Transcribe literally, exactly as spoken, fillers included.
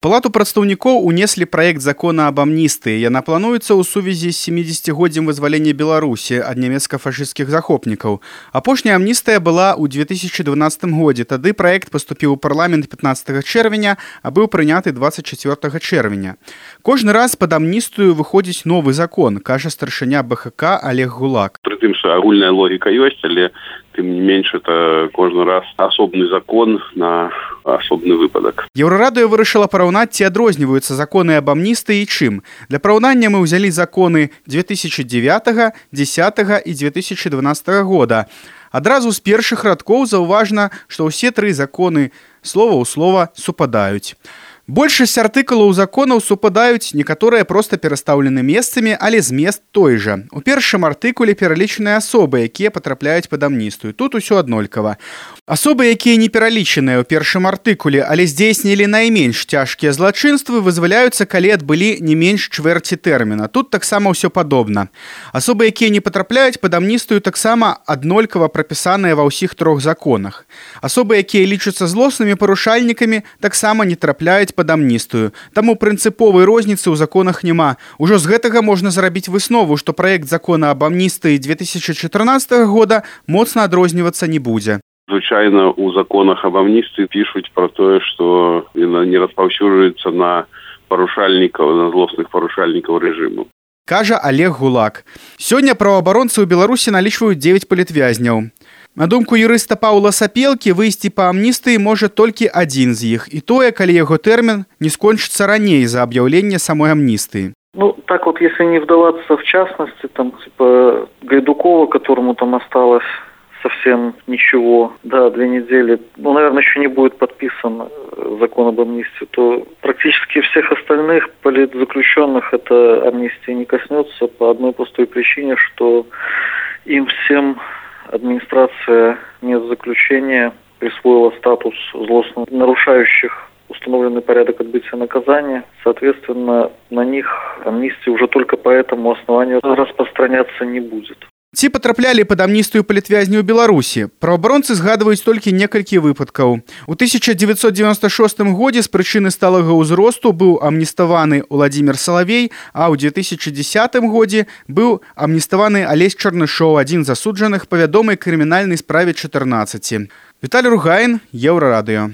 Палату прадстаўнікоў унеслі праект закона аб амністыі. Яна плануецца ў сувязі з сямідзесяцігоддзем вызвалення Беларусі ад нямецка-фашысцкіх захопнікаў. Апошняя амністыя была ў две тысячы дванаццатым годзе. Тады праект паступіў у парламент пятнаццатага чэрвеня, а быў прыняты дваццаць чацвёртага чэрвеня. Кожны раз пад амністыю выходзіць новы закон, кажа старшыня бэ ха ка Олег Гулак. Пры тым, што агульная логіка ёсць, але тым не менш это кожны раз асобны закон на асобны выпадак. Еўрарадыё вырашыла параўнаць, ці адрозніваюцца законы аб амністыі і чым. Для параўнання мы ўзялі законы две тысячи дзевятага, дзесятага і две тысячи дванаццатага года. Адразу з першых радкоў заўважна, што ўсе тры законы слова ў слова супадаюць. Большасць артыкулаў законаў супадаюць, некаторыя проста перастаўлены месцамі, але змест той жа. У першым артыкуле пералічаныя асобы, якія патрапляюць пад амністыю. Тут усё аднолькава. Асобы, якія не пералічаныя ў першым артыкуле, але здзейснілі найменш цяжкія злачынствы, вызваляюцца, калі адбылі не менш чвэрці тэрміна. Тут таксама ўсё падобна. Асобы, якія не патрапляюць пад амністыю, таксама аднолькава прапісаныя ва ўсіх трох законах. Асобы, якія лічацца злоснымі парушальнікамі, таксама не трапляюць пад амністыю. Таму прынцыповай розніцы ў законах няма. Ужо з гэтага можна зрабіць выснову, што праект закона аб амністыі две тысячи чатырнаццатага года моцна адрознівацца не будзе. Звычайна у законах аб амністыі пішуць пра тое, што яна не распаўсюджваецца на парушальнікаў, на злосных парушальнікаў рэжыму. Кажа Олег Гулак. Сёння праваабаронцы ў Беларусі налічваюць дзевяць палітвязняў. На думку юрыста Паўла Сапелкі, выйсці па амністыі можа толькі адзін з іх, і тое, калі яго тэрмін не скончыцца раней за аб'яўленне самой амністыі. Ну, так вот, если не вдаваться в частности, там, типа, Гайдукова, которому там осталось совсем ничего, да, две недели, ну, наверное, еще не будет подписан закон об амнистии, то практически всех остальных политзаключенных эта амнистия не коснется по одной простой причине, что им всем администрация мест заключения присвоила статус злостно нарушающих установленный порядок отбытия наказания. Соответственно, на них амнистия уже только по этому основанию распространяться не будет. Ці патраплялі пад амністыю палітвязні ў Беларусі? Праваабаронцы згадваюць толькі некалькі выпадкаў. У тысяча дзевяцьсот девяносто шостым годзе з прычыны сталага ўзросту быў амніставаны Уладзімір Салавей, а ў две тысячи десятым годзе быў амніставаны Алесь Чарнышоў, адзін з асуджаных па вядомай крымінальнай справе чатырнаццаці. Віталій Ругаін, Еўрарадыё.